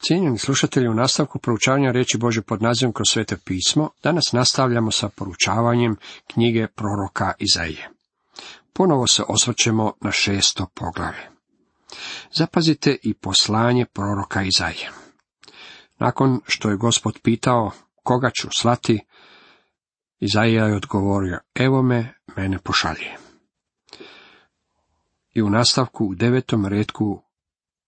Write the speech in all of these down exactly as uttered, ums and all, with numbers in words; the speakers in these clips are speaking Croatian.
Cijenjeni slušatelji, u nastavku proučavanja riječi Božje pod nazivom Kroz Sveto pismo, danas nastavljamo sa proučavanjem knjige proroka Izaije. Ponovo se osvrćemo na šesto poglavlje. Zapazite i poslanje proroka Izaije. Nakon što je Gospod pitao koga ću slati, Izaija je odgovorio: evo me, mene pošalji. I u nastavku u devetom retku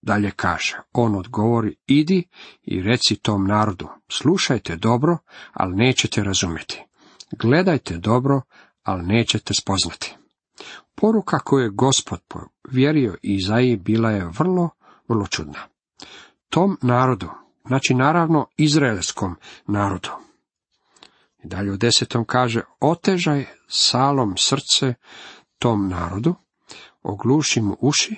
dalje kaže, on odgovori: idi i reci tom narodu, slušajte dobro, ali nećete razumjeti. Gledajte dobro, ali nećete spoznati. Poruka koju je Gospod povjerio Izaiji bila je vrlo, vrlo čudna. Tom narodu, znači naravno izraelskom narodu. I dalje u desetom kaže: otežaj salom srce tom narodu, ogluši mu uši,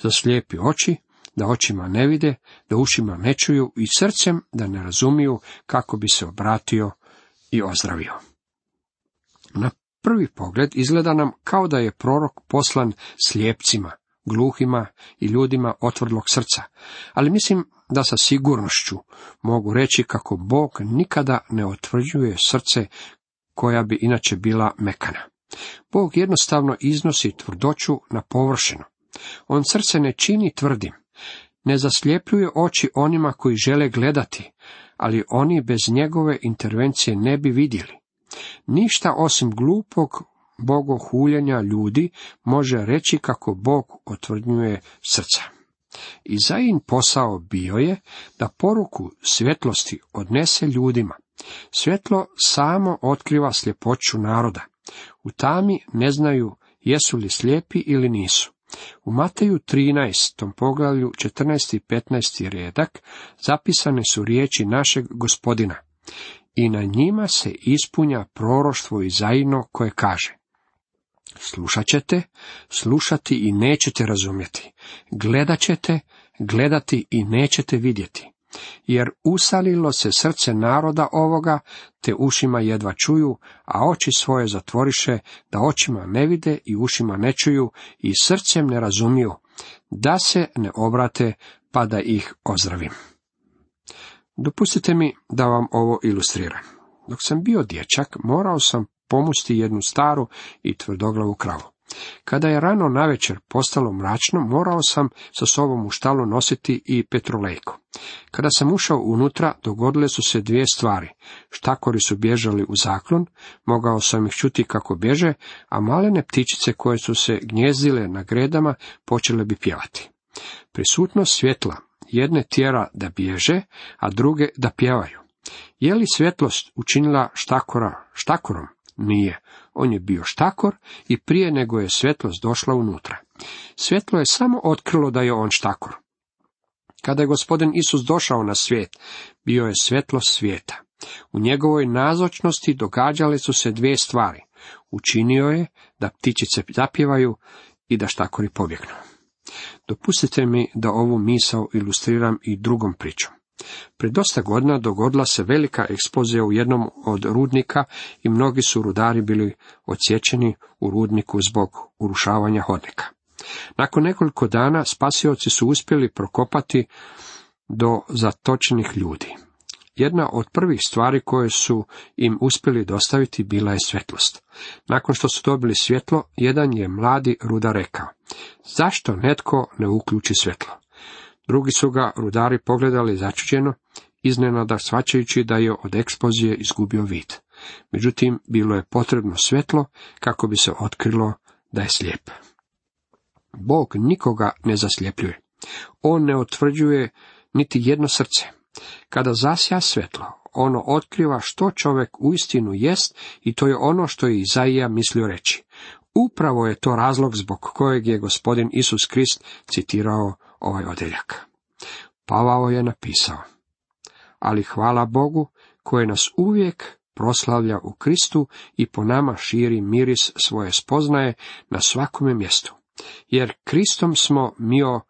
zaslijepi oči, da očima ne vide, da ušima ne čuju i srcem da ne razumiju, kako bi se obratio i ozdravio. Na prvi pogled izgleda nam kao da je prorok poslan slijepcima, gluhima i ljudima otvrdlog srca, ali mislim da sa sigurnošću mogu reći kako Bog nikada ne otvrđuje srce koja bi inače bila mekana. Bog jednostavno iznosi tvrdoću na površinu. On srce ne čini tvrdim, ne zasljepljuje oči onima koji žele gledati, ali oni bez njegove intervencije ne bi vidjeli. Ništa osim glupog bogohuljenja ljudi može reći kako Bog otvrdnjuje srca. Izajin posao bio je da poruku svjetlosti odnese ljudima. Svjetlo samo otkriva sljepoću naroda. U tami ne znaju jesu li slijepi ili nisu. U Mateju trinaestom poglavlju četrnaesti i petnaesti redak zapisane su riječi našeg Gospodina: i na njima se ispunja proroštvo Izajino koje kaže: slušat ćete, slušati i nećete razumjeti, gledat ćete, gledati i nećete vidjeti. Jer usalilo se srce naroda ovoga, te ušima jedva čuju, a oči svoje zatvoriše, da očima ne vide i ušima ne čuju i srcem ne razumiju, da se ne obrate pa da ih ozdravim. Dopustite mi da vam ovo ilustriram. Dok sam bio dječak, morao sam pomusti jednu staru i tvrdoglavu kravu. Kada je rano navečer postalo mračno, morao sam sa sobom u štalu nositi i petrolejku. Kada sam ušao unutra, dogodile su se dvije stvari. Štakori su bježali u zaklon, mogao sam ih čuti kako bježe, a malene ptičice koje su se gnjezdile na gredama počele bi pjevati. Prisutnost svjetla jedne tjera da bježe, a druge da pjevaju. Je li svjetlost učinila štakora štakorom? Nije. On je bio štakor i prije nego je svjetlost došla unutra. Svjetlo je samo otkrilo da je on štakor. Kada je Gospodin Isus došao na svijet, bio je svjetlost svijeta. U njegovoj nazočnosti događale su se dvije stvari. Učinio je da ptičice zapjevaju i da štakori pobjegnu. Dopustite mi da ovu misao ilustriram i drugom pričom. Pred dosta godina dogodila se velika eksplozija u jednom od rudnika i mnogi su rudari bili odsječeni u rudniku zbog urušavanja hodnika. Nakon nekoliko dana spasioci su uspjeli prokopati do zatočenih ljudi. Jedna od prvih stvari koje su im uspjeli dostaviti bila je svjetlost. Nakon što su dobili svjetlo, jedan je mladi rudar rekao: zašto netko ne uključi svjetlo? Drugi su ga rudari pogledali začuđeno, iznenada shvaćajući da je od eksplozije izgubio vid. Međutim, bilo je potrebno svjetlo kako bi se otkrilo da je slijep. Bog nikoga ne zasljepljuje. On ne otvrđuje niti jedno srce. Kada zasja svjetlo, ono otkriva što čovjek uistinu jest i to je ono što je Izaija mislio reći. Upravo je to razlog zbog kojeg je Gospodin Isus Krist citirao ovaj odjeljak. Pavao je napisao: ali hvala Bogu koji nas uvijek proslavlja u Kristu i po nama širi miris svoje spoznaje na svakome mjestu. Jer Kristom smo mio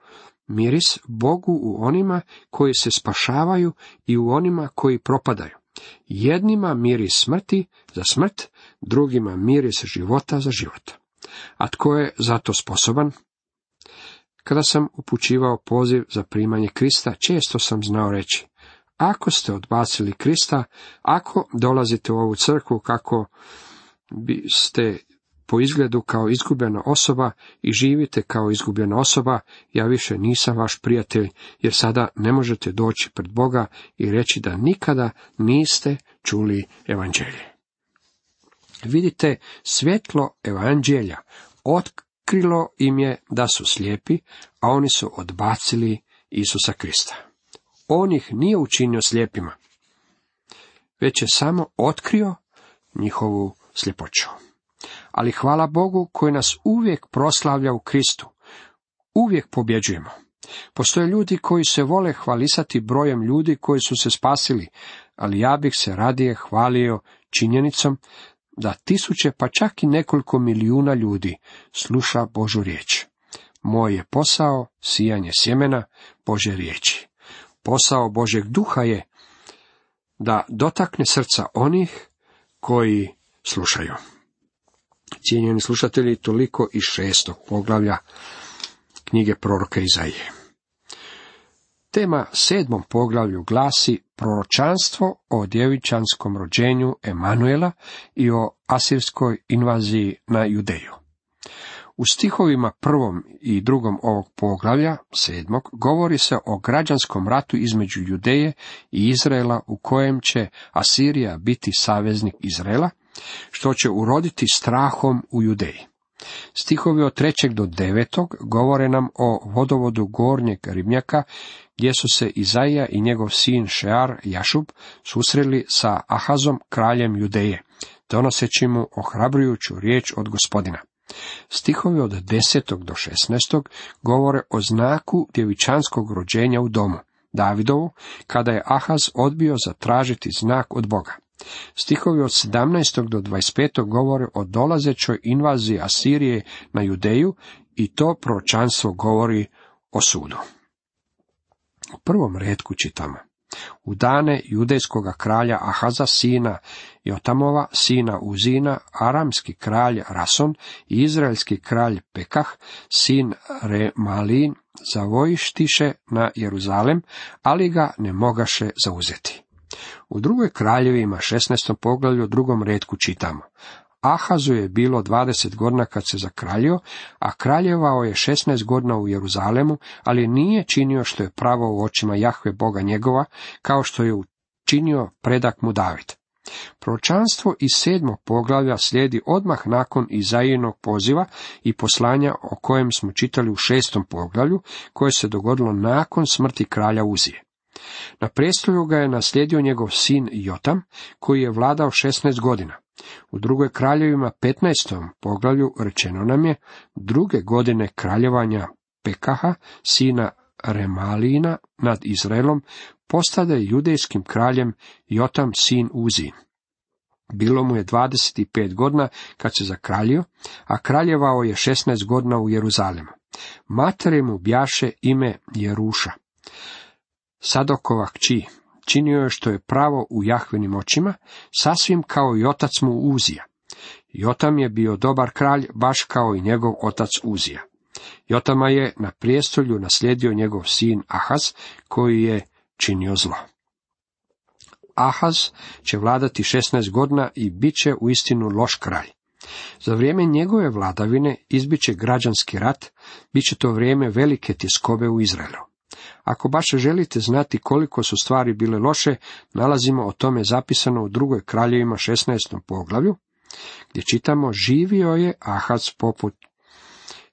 miris Bogu u onima koji se spašavaju i u onima koji propadaju. Jednima miris smrti za smrt, drugima miris života za život. A tko je za to sposoban? Kada sam upućivao poziv za primanje Krista, često sam znao reći: ako ste odbacili Krista, ako dolazite u ovu crkvu kako biste po izgledu kao izgubljena osoba i živite kao izgubljena osoba, ja više nisam vaš prijatelj, jer sada ne možete doći pred Boga i reći da nikada niste čuli evanđelje. Vidite, svjetlo evanđelja otkrilo im je da su slijepi, a oni su odbacili Isusa Krista. On ih nije učinio slijepima, već je samo otkrio njihovu sljepoću. Ali hvala Bogu koji nas uvijek proslavlja u Kristu. Uvijek pobjeđujemo. Postoje ljudi koji se vole hvalisati brojem ljudi koji su se spasili, ali ja bih se radije hvalio činjenicom da tisuće, pa čak i nekoliko milijuna ljudi sluša Božju riječ. Moj je posao sijanje sjemena Božje riječi. Posao Božjeg duha je da dotakne srca onih koji slušaju. Cijenjeni slušatelji, toliko iz šestog poglavlja knjige proroka Izaije. Tema sedmom poglavlju glasi proročanstvo o djevičanskom rođenju Emanuela i o asirskoj invaziji na Judeju. U stihovima prvom i drugom ovog poglavlja, sedmog, govori se o građanskom ratu između Judeje i Izraela u kojem će Asirija biti saveznik Izraela, što će uroditi strahom u Judeji. Stihovi od trećeg do devetog govore nam o vodovodu gornjeg ribnjaka, gdje su se Izaija i njegov sin Šear Jašub susreli sa Ahazom, kraljem Judeje, donoseći mu ohrabrujuću riječ od Gospodina. Stihovi od desetog do šesnaestog govore o znaku djevičanskog rođenja u domu Davidovu, kada je Ahaz odbio zatražiti znak od Boga. Stihovi od sedamnaestog do dvadeset petog govore o dolazećoj invaziji Asirije na Judeju i to proročanstvo govori o sudu. U prvom retku čitamo: u dane judejskoga kralja Ahaza, sina Jotamova, sina Uzina, aramski kralj Rason i izraelski kralj Pekah, sin Remalin, zavojištiše na Jeruzalem, ali ga ne mogaše zauzeti. U drugoj kraljevima šesnaestom poglavlju u drugom retku čitamo: Ahazu je bilo dvadeset godina kad se zakraljio, a kraljevao je šesnaest godina u Jeruzalemu, ali nije činio što je pravo u očima Jahve Boga njegova, kao što je učinio predak mu David. Proročanstvo iz sedmog poglavlja slijedi odmah nakon Izaijinog poziva i poslanja o kojem smo čitali u šestom poglavlju, koje se dogodilo nakon smrti kralja Uzije. Na prestolju ga je naslijedio njegov sin Jotam, koji je vladao šesnaest godina. U drugoj kraljevima petnaestom poglavlju rečeno nam je: druge godine kraljevanja Pekaha, sina Remalina, nad Izraelom, postade judejskim kraljem Jotam, sin Uzin. Bilo mu je dvadeset pet godina kad se zakraljio, a kraljevao je šesnaest godina u Jeruzalemu. Matere mu bjaše ime Jeruša, Sadokova kći. Činio je što je pravo u Jahvinim očima, sasvim kao i otac mu Uzija. Jotam je bio dobar kralj, baš kao i njegov otac Uzija. Jotama je na prijestolju naslijedio njegov sin Ahaz, koji je činio zlo. Ahaz će vladati šesnaest godina i bit će uistinu loš kralj. Za vrijeme njegove vladavine izbit će građanski rat, bit će to vrijeme velike tjeskobe u Izraelu. Ako baš želite znati koliko su stvari bile loše, nalazimo o tome zapisano u drugoj kraljevima šesnaestom poglavlju, gdje čitamo: živio je Ahaz poput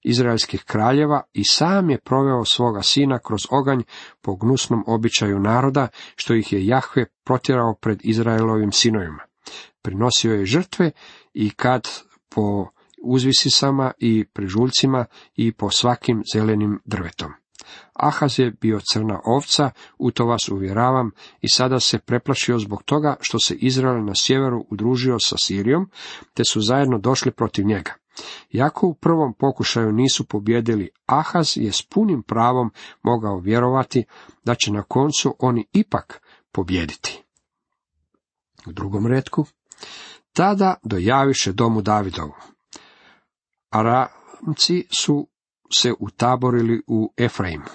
izraelskih kraljeva i sam je proveo svoga sina kroz oganj po gnusnom običaju naroda, što ih je Jahve protjerao pred Izraelovim sinovima. Prinosio je žrtve i kad po uzvisisama i prižuljcima i po svakim zelenim drvetom. Ahaz je bio crna ovca, u to vas uvjeravam, i sada se preplašio zbog toga što se Izrael na sjeveru udružio sa Sirijom, te su zajedno došli protiv njega. Iako u prvom pokušaju nisu pobjedili, Ahaz je s punim pravom mogao vjerovati da će na koncu oni ipak pobijediti. U drugom retku: tada dojaviše domu Davidovu. Aramci su se utaborili u Efraimu.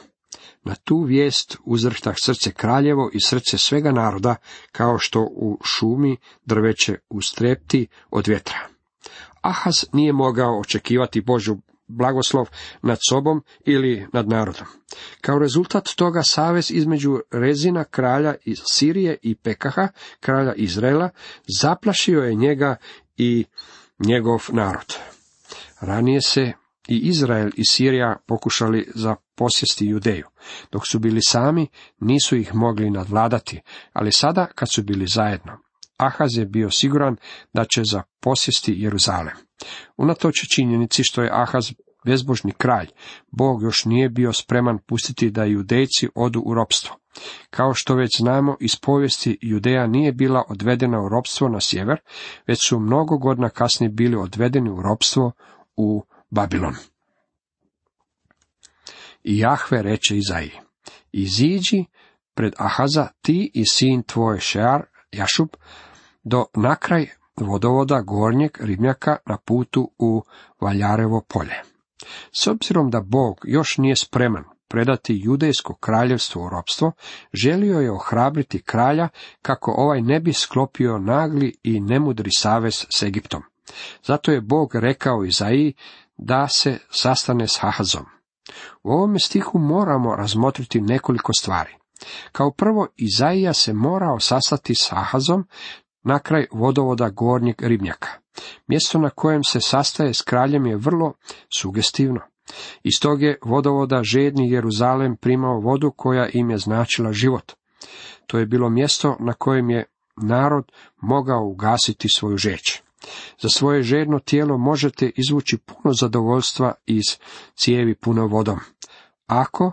Na tu vijest uzrhtah srce kraljevo i srce svega naroda, kao što u šumi drveće ustrepti od vjetra. Ahaz nije mogao očekivati Božju blagoslov nad sobom ili nad narodom. Kao rezultat toga savez između Rezina, kralja iz Sirije, i Pekaha, kralja Izraela, zaplašio je njega i njegov narod. Ranije se i Izrael i Sirija pokušali zaposjesti Judeju. Dok su bili sami, nisu ih mogli nadvladati, ali sada kad su bili zajedno, Ahaz je bio siguran da će zaposjesti Jeruzalem. Unatoč činjenici što je Ahaz bezbožni kralj, Bog još nije bio spreman pustiti da Judejci odu u ropstvo. Kao što već znamo iz povijesti, Judeja nije bila odvedena u ropstvo na sjever, već su mnogo godina kasnije bili odvedeni u ropstvo u Babilon. I Jahve reče Izaiji: iziđi pred Ahaza ti i sin tvoj Šear Jašub do nakraj vodovoda gornjeg ribnjaka na putu u Valjarevo polje. S obzirom da Bog još nije spreman predati judejsko kraljevstvo u ropstvo, želio je ohrabriti kralja kako ovaj ne bi sklopio nagli i nemudri savez s Egiptom. Zato je Bog rekao Izaiji da se sastane s Ahazom. U ovome stihu moramo razmotriti nekoliko stvari. Kao prvo, Izaija se morao sastati s Ahazom na kraj vodovoda gornjeg ribnjaka. Mjesto na kojem se sastaje s kraljem je vrlo sugestivno. Iz tog je vodovoda žedni Jeruzalem primao vodu koja im je značila život. To je bilo mjesto na kojem je narod mogao ugasiti svoju žeđ. Za svoje žedno tijelo možete izvući puno zadovoljstva iz cijevi puno vodom, ako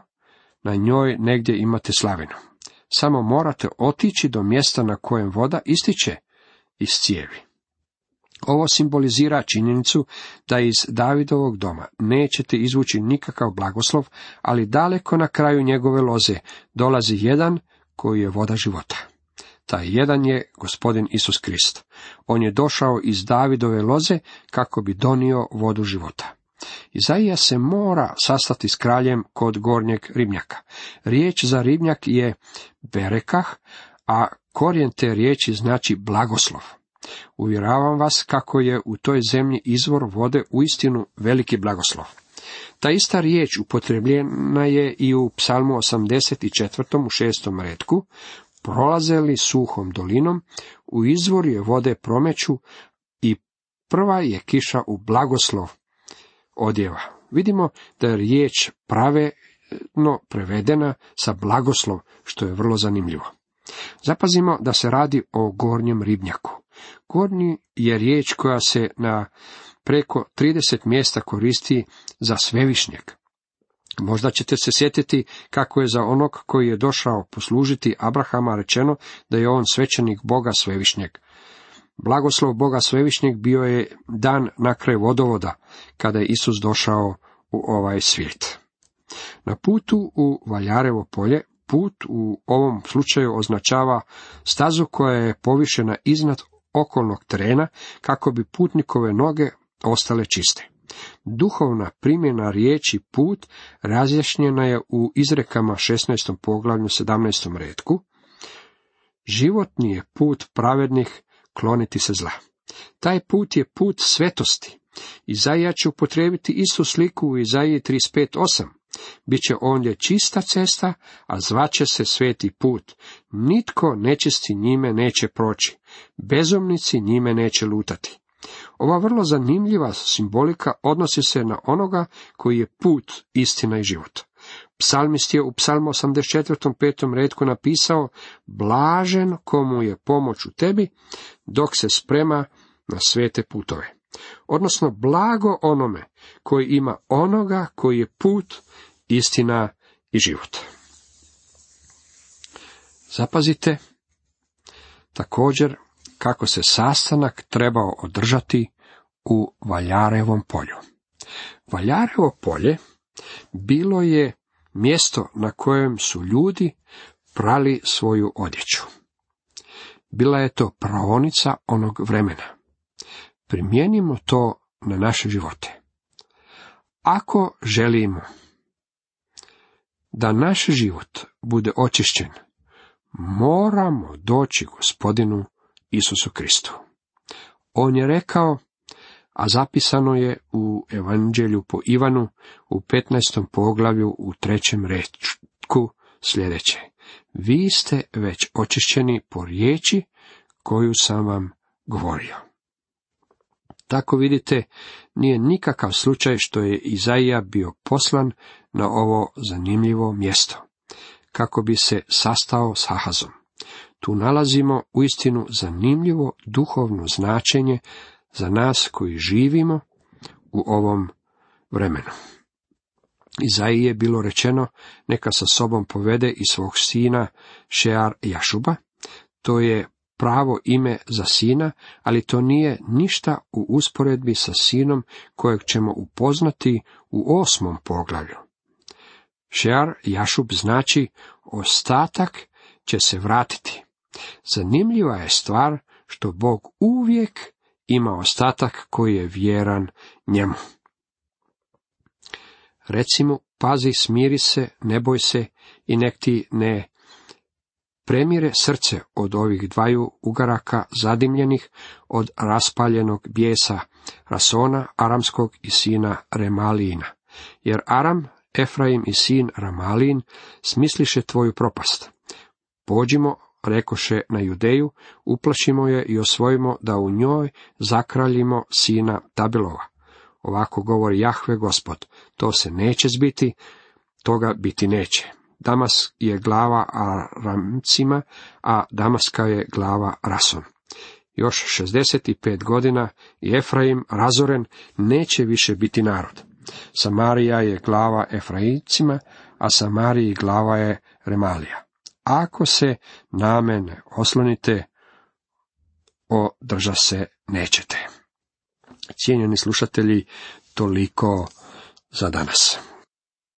na njoj negdje imate slavinu. Samo morate otići do mjesta na kojem voda ističe iz cijevi. Ovo simbolizira činjenicu da iz Davidovog doma nećete izvući nikakav blagoslov, ali daleko na kraju njegove loze dolazi jedan koji je voda života. Taj jedan je Gospodin Isus Krist. On je došao iz Davidove loze kako bi donio vodu života. Izaija se mora sastati s kraljem kod gornjeg ribnjaka. Riječ za ribnjak je berekah, a korijen te riječi znači blagoslov. Uvjeravam vas kako je u toj zemlji izvor vode uistinu veliki blagoslov. Ta ista riječ upotrebljena je i u Psalmu osamdeset četiri. u šestom retku. Prolaze li suhom dolinom, u izvor je vode promeću i prva je kiša u blagoslov odjeva. Vidimo da je riječ pravedno prevedena sa blagoslov, što je vrlo zanimljivo. Zapazimo da se radi o gornjem ribnjaku. Gornji je riječ koja se na preko trideset mjesta koristi za svevišnjeg. Možda ćete se sjetiti kako je za onog koji je došao poslužiti Abrahama rečeno da je on svećenik Boga svevišnjeg. Blagoslov Boga svevišnjeg bio je dan na kraj vodovoda, kada je Isus došao u ovaj svijet. Na putu u Valjarevo polje, put u ovom slučaju označava stazu koja je povišena iznad okolnog terena kako bi putnikove noge ostale čiste. Duhovna primjena riječi put razjašnjena je u izrekama šesnaestom poglavlju sedamnaestom retku. Životni je put pravednih kloniti se zla. Taj put je put svetosti. Izaija će upotrijebiti istu sliku u Izaiji trideset pet osam. Biće ondje čista cesta, a zvaće se sveti put. Nitko nečisti njime neće proći. Bezumnici njime neće lutati. Ova vrlo zanimljiva simbolika odnosi se na onoga koji je put, istina i život. Psalmist je u Psalmu osamdeset četiri. petom retku napisao: blažen komu je pomoć u tebi, dok se sprema na svete putove. Odnosno, blago onome koji ima onoga koji je put, istina i život. Zapazite također kako se sastanak trebao održati u Valjarevom polju. Valjarevo polje bilo je mjesto na kojem su ljudi prali svoju odjeću. Bila je to praonica onog vremena. Primijenimo to na naše živote. Ako želimo da naš život bude očišćen, moramo doći Gospodinu Isusu Kristu. On je rekao, a zapisano je u Evanđelju po Ivanu u petnaestom poglavlju u trećem rečku sljedeće: vi ste već očišćeni po riječi koju sam vam govorio. Tako vidite, nije nikakav slučaj što je Izaija bio poslan na ovo zanimljivo mjesto, kako bi se sastao s Ahazom. Tu nalazimo uistinu zanimljivo duhovno značenje za nas koji živimo u ovom vremenu. Izaiji je bilo rečeno, neka sa sobom povede i svog sina Šear Jašuba. To je pravo ime za sina, ali to nije ništa u usporedbi sa sinom kojeg ćemo upoznati u osmom poglavlju. Šear Jašub znači ostatak će se vratiti. Zanimljiva je stvar što Bog uvijek ima ostatak koji je vjeran njemu. Recimo, pazi, smiri se, ne boj se i nek ti ne premire srce od ovih dvaju ugaraka zadimljenih, od raspaljenog bijesa Rasona, aramskog i sina Remalijina. Jer Aram, Efraim i sin Ramalin smisliše tvoju propast. Pođimo, rekoše, na Judeju, uplašimo je i osvojimo da u njoj zakraljimo sina Tabilova. Ovako govori Jahve Gospod, to se neće zbiti, toga biti neće. Damas je glava Aramcima, a Damaska je glava Rason. Još šezdeset pet godina i Efraim razoren neće više biti narod. Samarija je glava Efraimcima, a Samariji glava je Remalija. Ako se na mene oslonite, održa se nećete. Cijenjeni slušatelji, toliko za danas.